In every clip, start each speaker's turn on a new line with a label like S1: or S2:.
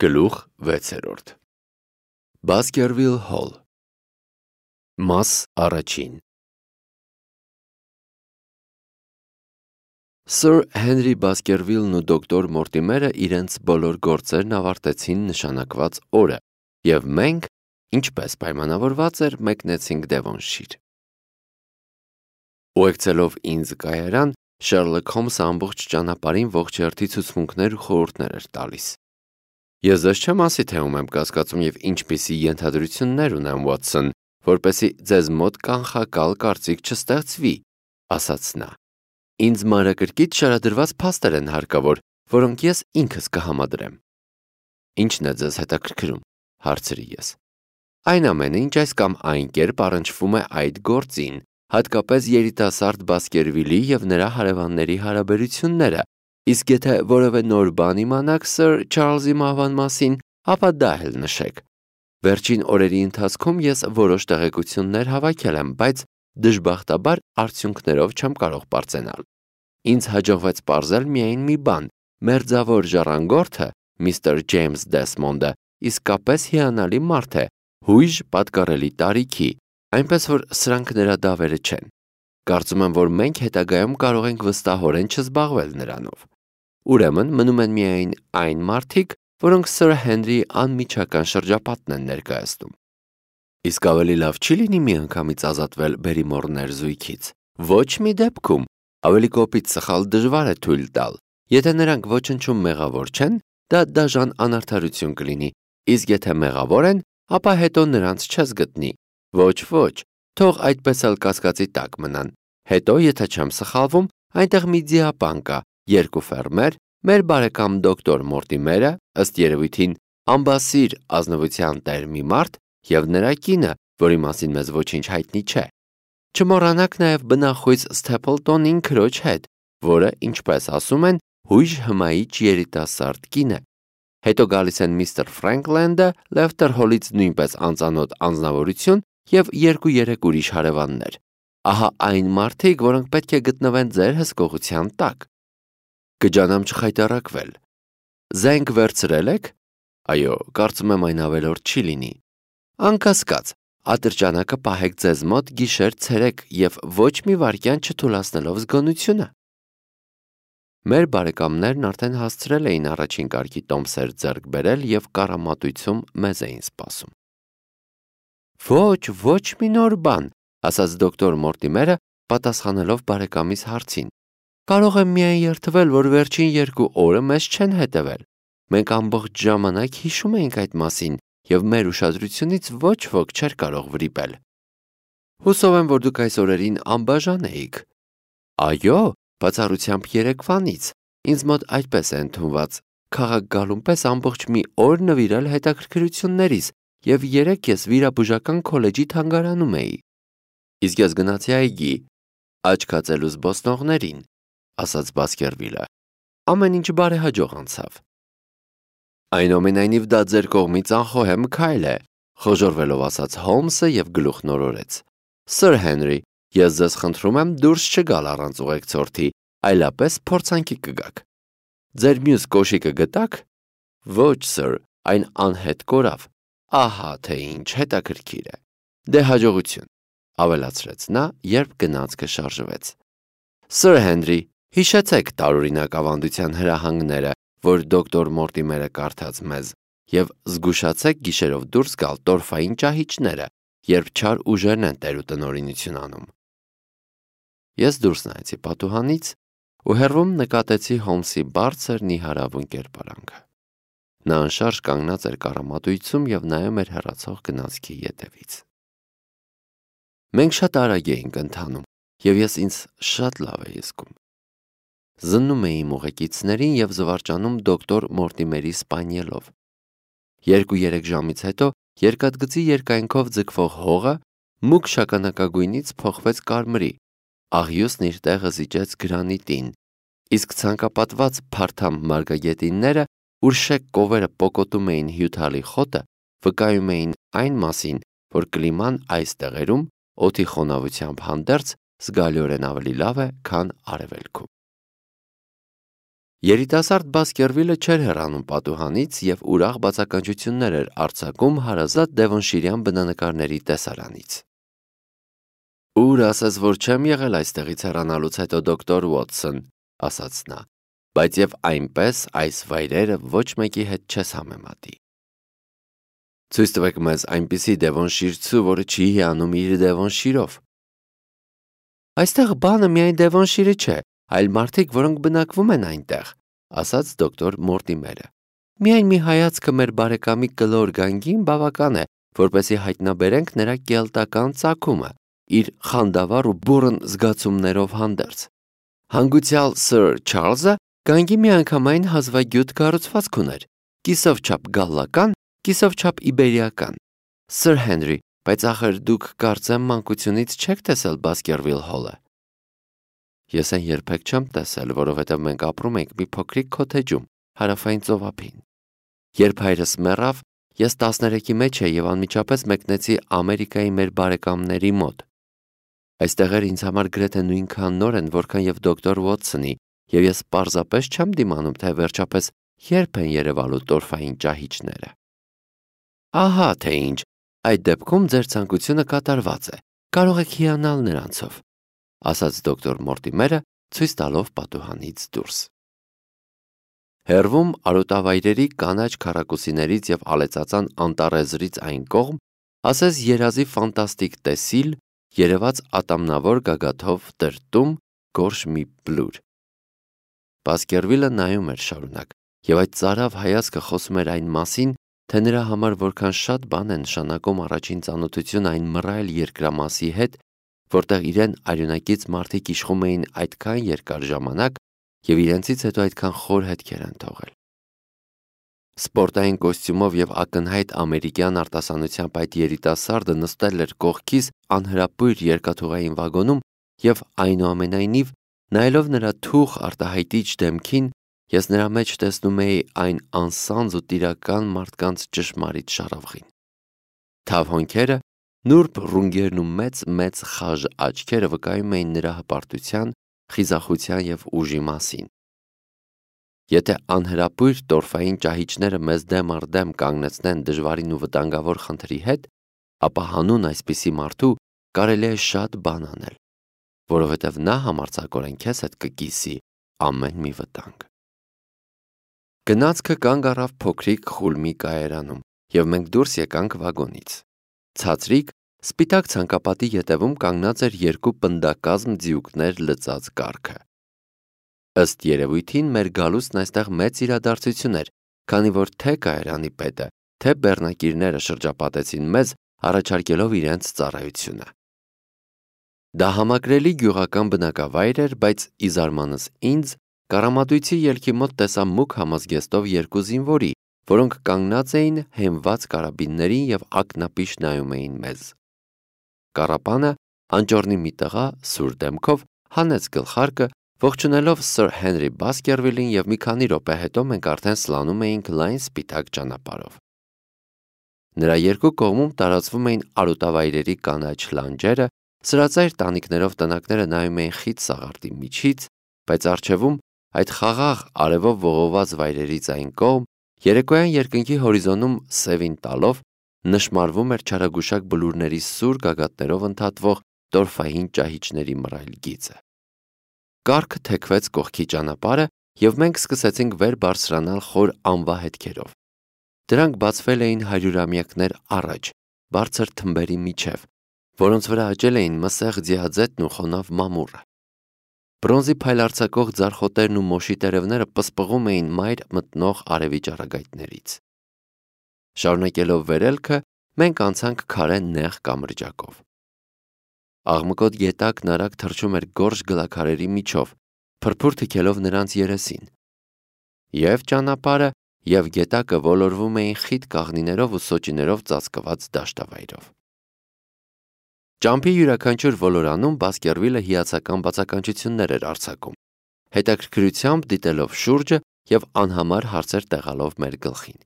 S1: Գլուխ 6 Baskerville Hall Մաս առաջին Սր Հենրի Բասկերվիլն ու դոկտոր Մորտիմերը իրենց բոլոր գործերն ավարտեցին նշանակված օրը, և մենք, ինչպես պայմանավորված էր, մեկնեցինք Դևոնշիր։ Ուղեկցելով ինձ կայարան, Շերլոք Հոլմսը ամբողջ ճանապարհին ողջ հերթի ցուցմունքներ ու խորհուրդներ էր տալիս։ Ես ձեզ չեմ ասի, թե ում եմ կասկածում և ինչպիսի ենթադրություններ ունեմ, Ուոտսոն, որպեսզի ձեզ մոտ կանխակալ կարծիք չստեղծվի, ասաց նա։ Ինձ մանրակրկիտ շարադրված փաստեր են հարկավոր, որոնք ես ինքս կհամադրեմ։ Ինչն է ձեզ հետաքրքրում, հարցրի ես։ Այն ամենը, ինչ այս կամ այն կերպ առնչվում է այդ գործին, հատկապես երիտասարդ Բասկերվիլի և նրա հարևանների հարաբերությունները, իսկ եթե որևէ նոր բան իմանաք Սր Չարլզի մահվան մասին, ապա դա էլ նշեք։ Վերջին օրերի ընթացքում ես որոշ տեղեկություններ հավաքել եմ, բայց դժբախտաբար արդյունքներով չեմ կարող պարծենալ։ Ինձ հաջողվեց պարզել միայն մի բան. մերձավոր ժառանգորդը, միստր Ջեյմս Դեսմոնդը, իսկապես հիանալի մարդ է, հույժ պատկառելի տարիքի, այնպես որ սրանք նրա դավերը չեն։ Կարծում եմ, որ մենք հետագայում կարող ենք վստահորեն չզբաղվել նրանով։ Ուրեմն մնում են միայն այն մարդիկ, որոնք Սր Հենրի անմիջական շրջապատն են ներկայացնում։ Իսկ ավելի լավ չի լինի միանգամից ազատվել Բերիմոր ներզույգից։ Ոչ մի դեպքում, ավելի կոպիտ սխալ դժվար է թույլ տալ։ Եթե նրանք ոչնչում մեղավոր չեն, դա դաժան անարդարություն կլինի, իսկ եթե մեղավոր են, ապա հետո նրանց չես գտնի։ Ոչ, թող այդպես էլ կասկածի տակ մնան։ Հետո, եթե չեմ սխալվում, այնտեղ մի ձիապան կա, երկու ֆերմեր, մեր բարեկամ դոկտոր Մորտիմերը, ըստ երևույթին ամբասիր ազնվության տեր մի մարդ, և նրա կինը, որի մասին մեզ ոչինչ հայտնի չէ։ Չմոռանաք նաև բնախույզ Սթեփլտոնին քրոջ հետ, որը, ինչպես ասում են, հույժ հմայիչ երիտասարդ կին է։ Հետո գալիս են միստր Ֆրենքլենդը, Լեֆտեր Հոլից նույնպես անծանոթ անձնավորություն և 2-3 ուրիշ հարևաններ։ Ահա այն մարդիկ, որոնք պետք է գտնվեն ձեր հսկողության տակ։ Կջանամ չխայտառակվել։ Զենք վերցրել եք։ Այո, կարծում եմ այն ավելորդ չի լինի։ Անկասկած, ատրճանակը պահեք ձեզ մոտ գիշեր-ցերեկ և ոչ մի վայրկյան չթուլացնելով զգոնությունը։ Մեր բարեկամներն արդեն հասցրել էին առաջին կարգի տոմսեր ձեռք բերել և կառամատույցում մեզ էին սպասում։ Ոչ մի նոր բան, ասաց դոկտոր Մորտիմերը, պատասխանելով բարեկամիս հարցին։ Կարող եմ միայն երդվել, որ վերջին 2 օրը մեզ չեն հետևել։ Մենք ամբողջ ժամանակ հիշում էինք այդ մասին, և մեր ուշադրությունից ոչ ոք չէր կարող վրիպել։ Հուսով եմ, որ դուք այս օրերին անբաժան էիք։ Այո, բացառությամբ երեկվանից, ինձ մոտ այդպես է ընդունված, քաղաք գալուն պես ամբողջ մի օր նվիրել հետաքրքրություններիս, և երեկ ես վիրաբուժական քոլեջի թանգարանում էի։ Իսկ ես գնացի այգի, աչքածելու զբոսնողներին, ասաց Բասկերվիլը։ Ամեն ինչ բարեհաջող անցավ։ Այնուամենայնիվ դա ձեր կողմից անխոհեմ քայլ է, խոժոռվելով ասաց Հոլմսը և գլուխ նորորեց։ Սր Հենրի, ես ձեզ խնդրում եմ դուրս չգալ առանց ուղեկցորդի, այլապես փորձանքի կգաք։ Ձեր մյուս կոշիկը գտա՞ք։ Ոչ, սր, այն անհետ կորավ։ Ահա թե ինչ հետաքրքիր է։ Դե հաջողություն, ավելացրեց նա, երբ գնացքը շարժվեց։ Սր Հենրի, հիշեցեք տարօրինակ ավանդության հրահանգները, որ դոկտոր Մորտիմերը կարդաց մեզ, և զգուշացեք գիշերով դուրս գալ տորֆային ճահիճները, երբ չար ուժերն են տեր ու տնօրինություն անում։ Ես դուրս նայեցի պատուհանից ու հեռվում նկատեցի Հոլմսի բարձր նիհարավուն կերպարանքը։ Նա անշարժ կանգնած էր կառամատույցում և նայում էր հեռացող գնացքի ետևից։ Մենք շատ արագ էինք ընթանում, և ես ինձ շատ լավ էի զգում։ Զննում էի իմ ուղեկիցներին և զվարճանում դոկտոր Մորտիմերի սպանիելով։ 2-3 ժամից հետո երկաթգծի երկայնքով ձգվող հողը մուգ շագանակագույնից փոխվեց կարմրի, աղյուսն իր տեղը զիջեց գրանիտին, իսկ ցանկապատված փարթամ մարգագետինները, ուր շեկ կովերը պոկոտում էին հյութալի խոտը, վկայում էին այն մասին, որ կլիման այս տեղերում օդի խոնավությամբ հանդերձ զգալիորեն ավելի լավ է, քան արևելքում։ Երիտասարդ Բասկերվիլը չէր հեռանում պատուհանից և ուրախ բացականչություններ էր արձակում հարազատ Դևոնշիրյան բնանկարների տեսարանից։ «Ուր ասես, որ չեմ եղել այստեղից հեռանալուց հետո, դոկտոր Ուոթսոն», ասաց նա, բայց և այնպես այս վայրերը ոչ մեկի հետ չես համեմատի։ Ցույց տվեք մեզ այնպիսի Դևոնշիրցու, որը չի հիանում իր Դևոնշիրով։ Այստեղ բանը միայն Դևոնշիրը չէ, այլ մարդիկ, որոնք բնակվում են այնտեղ, ասաց դոկտոր Մորտիմերը։ Միայն մի հայացքը մեր բարեկամի կլոր գանգին բավական է, որպեսզի հայտնաբերենք նրա կելտական ծագումը, իր խանդավառ ու բուռն զգացումներով հանդերձ։ Հանգուցյալ Սըր Չարլզը գանգի միանգամայն հազվագյուտ կառուցվածք ուներ, կիսով չափ գալլական, կիսով չափ իբերիական։ Սըր Հենրի, բայց ախր դուք կարծեմ մանկությունից չեք տեսել Բասկերվիլ հոլը։ Ես այն երբեք չեմ տեսել, որովհետև մենք ապրում ենք մի փոքրիկ քոթեջում, հարավային ծովափին։ Երբ հայրս մեռավ, ես 13-ի մեջ էի և անմիջապես մեկնեցի Ամերիկայի մեր բարեկամների մոտ։ Այստեղ ինձ համար գրեթե նույնքան նոր են, որքան և դոկտոր Ուոթսոնի, և ես պարզապես չեմ դիմանում, թե վերջապես երբ են երևալու տորֆային ճահիճները։ Ահա թե ինչ, այդ դեպքում ձեր ցանկությունը կատարված է, կարող եք հիանալ նրանցով, ասաց դոկտոր Մորտիմերը, ցույց տալով պատուհանից դուրս։ Հեռվում արոտավայրերի կանաչ քառակուսիներից և ալեցածան անտառեզրից այն կողմ, ասես երազի ֆանտաստիկ տեսիլ, երևաց ատամնավոր գագաթով տրտում գորշ մի բլուր։ Բասկերվիլը նայում էր շարունակ, և այդ ծարավ հայացքը խոսում էր այն մասին, թե նրա համար որքան շատ բան է նշանակում առաջին ծանոթությունը այն մռայլ երկրամասի հետ, որտեղ իրեն արյունակից մարդիկ իշխում էին այդքան երկար ժամանակ և իրենցից հետո այդքան խոր հետքեր են թողել։ Սպորտային կոստյումով և ակնհայտ ամերիկյան արտասանությամբ այդ երիտասարդը նստել էր կողքիս անհրապույր երկաթուղային վագոնում և այնուամենայնիվ, նայելով նրա թուխ արտահայտիչ դեմքին, ես նրա մեջ տեսնում էի այն անսանձ ու տիրական մարդկանց ճշմարիտ շառավղին։ Թավ հոնքերը, նուրբ ռունգերն ու մեծ խաժ աչքերը վկայում էին նրա հպարտության, խիզախության և ուժի մասին։ Եթե անհրապույր տորֆային ճահիճները մեզ դեմ առ դեմ կանգնեցնեն դժվարին ու վտանգավոր խնդրի հետ, ապա հանուն այսպիսի մարդու կարելի է շատ բան անել, որովհետև նա համարձակորեն քեզ հետ կկիսի ամեն մի վտանգ։ Գնացքը կանգ առավ փոքրիկ խուլ մի կայարանում, և մենք դուրս եկանք վագոնից։ Ցածրիկ, սպիտակ ցանկապատի ետևում կանգնած էր երկու պնդակազմ ձիուկներ լծած կառքը։ Ըստ երևույթին մեր գալուստն այստեղ մեծ իրադարձություն էր, քանի որ թե կայարանի պետը, թե բեռնակիրները շրջապատեցին մեզ, առաջարկելով իրենց ծառայությունը։ Դա համակրելի գյուղական բնակավայր էր, բայց ի զարմանս ինձ, կառամատույցի ելքի մոտ տեսա մուգ համազգեստով երկու զինվորի, որոնք կանգնած էին հենված կարաբիններին և ակնապիշ նայում էին մեզ։ Կառապանը, անճոռնի մի տղա, սուր դեմքով, հանեց գլխարկը, ողջունելով Սըր Հենրի Բասկերվիլին, և մի քանի րոպե հետո մենք արդեն սլանում էինք լայն սպիտակ ճանապարհով։ Նրա երկու կողմում տարածվում էին արոտավայրերի կանաչ լանջերը, սրածայր տանիքներով տնակները նայում էին խիտ սաղարթի միջից, բայց առջևում, այդ խաղաղ արևով ողողված վայրերից այն կողմ, երեկոյան երկնքի հորիզոնում սևին տալով, նշմարվում էր չարագուշակ բլուրների սուր գագաթներով ընդհատվող տորֆային ճահիճների մռայլ գիծը։ Կառքը թեքվեց կողքի ճանապարհը, և մենք սկսեցինք վեր բարձրանալ խոր անվահետքերով։ Դրանք բացվել էին հարյուրամյակներ առաջ, բարձր թմբերի միջև, որոնց վրա աճել էին մսեղ ձիաձետն ու խոնավ մամուռը։ Բրոնզի փայլարձակող ձարխոտերն ու մոշի տերևները պսպղում էին մայր մտնող արևի ճառագայթներից։ Շարունակելով վերելքը, մենք անցանք քարե նեղ կամրջակով։ Աղմկոտ գետակն արագ թռչում էր գորշ գլաքարերի միջով, փրփուր թքելով նրանց երեսին։ Եվ ճանապարհը, և գետակը ոլորվում էին խիտ կաղնիներով ու սոճիներով ծածկված դաշտավայրով։ Ճամփի յուրաքանչյուր ոլորանում Բասկերվիլը հիացական բացականչություններ էր արձակում, հետաքրքրությամբ դիտելով շուրջը և անհամար հարցեր տեղալով մեր գլխին։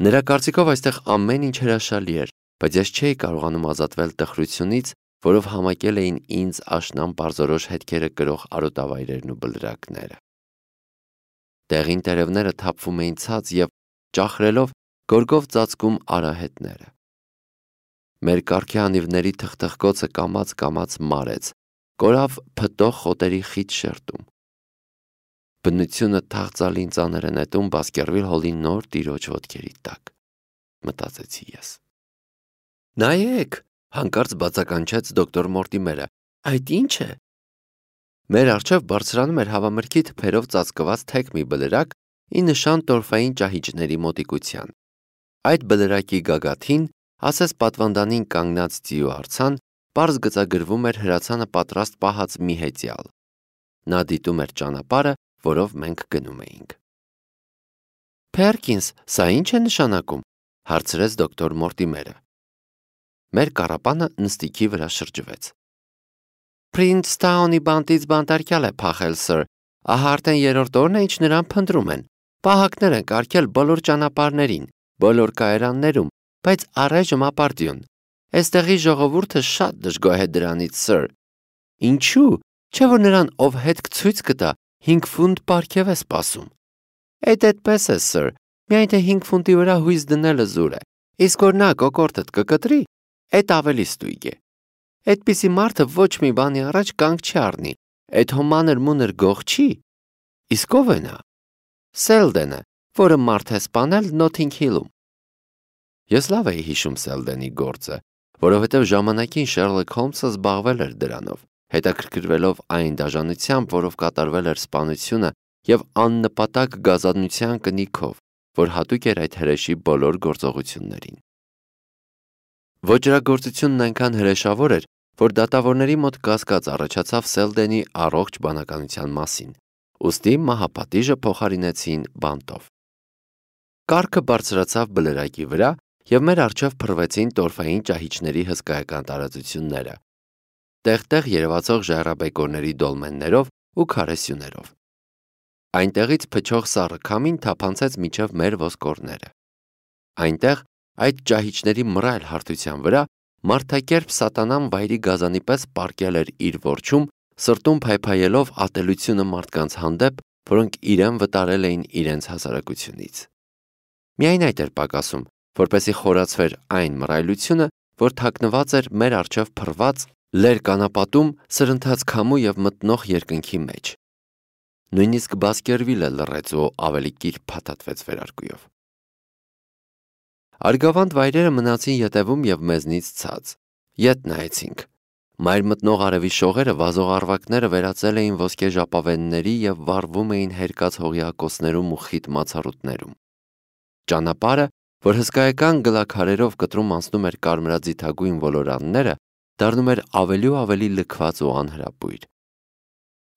S1: Նրա կարծիքով այստեղ ամեն ինչ հրաշալի էր, բայց ես չէի կարողանում ազատվել տխրությունից, որով համակել էին ինձ աշնան պարզորոշ հետքերը կրող արոտավայրերն ու բլրակները։ Տեղին տերևները թափվում էին ցած և ճախրելով գորգով ծածկում արահետները։ Մեր կառքի անիվների թխթխկոցը կամաց մարեց, կորավ փտող խոտերի խիտ շերտում։ Բնությունը թախծալին ծանր է նետում Բասկերվիլ-Հոլի նոր տիրոջ ոտքերի տակ, մտածեցի ես։ Նայեք, հանկարծ բացականչեց դոկտոր Մորտիմերը, այդ ի՞նչ է։ Մեր առջև բարձրանում էր հավամրգի թփերով ծածկված թեք մի բլրակ, ի նշան տորֆային ճահիճների մոտիկության։ Այդ բլրակի գագաթին, ասես պատվանդանին կանգնած ձիու արձան, պարզ գծագրվում էր հրացանը պատրաստ պահած մի հեծյալ։ Նա դիտում էր ճանապարհը, որով մենք գնում էինք։ Փերկինս, սա ի՞նչ է նշանակում, հարցրեց դոկտոր Մորտիմերը։ Մեր կառապանը նստիքի վրա շրջվեց։ Փրինսթաունի բանտից բանտարկյալ է փախել, սըր, ահա արդեն երրորդ օրն է, ինչ նրան փնտրում են։ Պահակներ են կարգել բոլոր ճանապարհներին, բոլոր կայարաններում, բայց առայժմ ապարդյուն։ Այստեղի ժողովուրդը շատ դժգոհ է դրանից, սըր։ Ինչու՞, չէ՞ որ նրան ով հետք ցույց կտա 5 ֆունտ պարգև է սպասում։ Այդպես է, սըր, միայն թե 5 ֆունտի վրա հույս դնելը զուր է, իսկ որ նա կոկորդդ կկտրի, այդ ավելի ստույգ է։ Այդպիսի մարդը ոչ մի բանի առաջ կանգ չի առնի, այդ հոմանր մունր գող չի։ Իսկ ով է նա։ Սելդենը, որը մարդ է սպանել Նոթինգ Հիլում։ Ես լավ էի հիշում Սելդենի գործը, որովհետև ժամանակին Շերլոք Հոլմսը զբաղվել էր դրանով, հետաքրքրվելով այն դաժանությամբ, որով կատարվել էր սպանությունը և աննպատակ գազանության կնիքով, որ հատուկ էր այդ հրեշի բոլոր գործողություններին։ Ոճրագործությունն այնքան հրեշավոր էր, որ դատավորների մոտ կասկած առաջացավ Սելդենի առողջ բանականության մասին, ուստի մահապատիժը փոխարինեցին բանտով։ Կառքը բարձրացավ բլրակի վրա, և մեր առջև փռվեցին տորֆային ճահիճների հսկայական տարածությունները, տեղ-տեղ երևացող ժայռաբեկորների դոլմեններով ու քարեսյուներով։ Այնտեղից փչող սառը քամին թափանցեց մինչև մեր ոսկորները։ Այնտեղ, այդ ճահիճների մռայլ հարթության վրա, մարդակերպ սատանան վայրի գազանի պես պառկել էր իր որջում, սրտում փայփայելով ատելությունը մարդկանց հանդեպ, որոնք իրեն վտարել էին իրենց հասարակությունից։ Միայն այդ էր պակասում, որպեսզի խորացվեր այն մռայլությունը, որ թաքնված էր մեր առջև փռված լերկանապատում սրընթաց քամու և մտնող երկնքի մեջ։ Նույնիսկ Բասկերվիլը լռեց ու ավելի կիրք փաթաթվեց վերարկուով։ Արգավանդ վայրերը մնացին ետևում և մեզնից ցած։ Ետ նայեցինք։ Մայր մտնող արևի շողերը վազող առվակները վերածել էին ոսկե ժապավենների և վառվում էին հերկած հողիակոսներում ու խիտ մացառուտներում։ Ճանապարհը, որ հսկայական գլաքարերով կտրում անցնում էր կարմրաձիթագույն ոլորանները, դառնում էր ավելի ու ավելի լքված ու անհրապույր։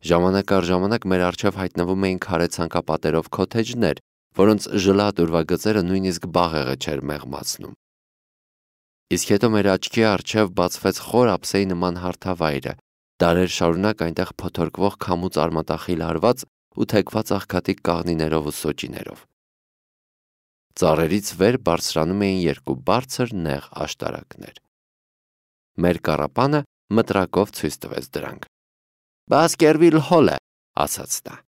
S1: Ժամանակ առ ժամանակ մեր առջև հայտնվում էին քարե ցանկապատերով քոթեջներ, որոնց ժլատ ուրվագծերը նույնիսկ բաղեղը չէր մեղմացնում։ Իսկ հետո մեր աչքի առջև բացվեց խոր ափսեի նման հարթավայրը, դարեր շարունակ այնտեղ փոթորկվող քամուց արմատախիլ հարված ու թեքված աղքատիկ կաղնիներով ու սոճիներով։ Ծառերից վեր բարձրանում էին երկու բարձր նեղ աշտարակներ։ Մեր կառապանը մտրակով ցույց տվեց դրանք։ Բասկերվիլ-Հոլը, ասաց նա։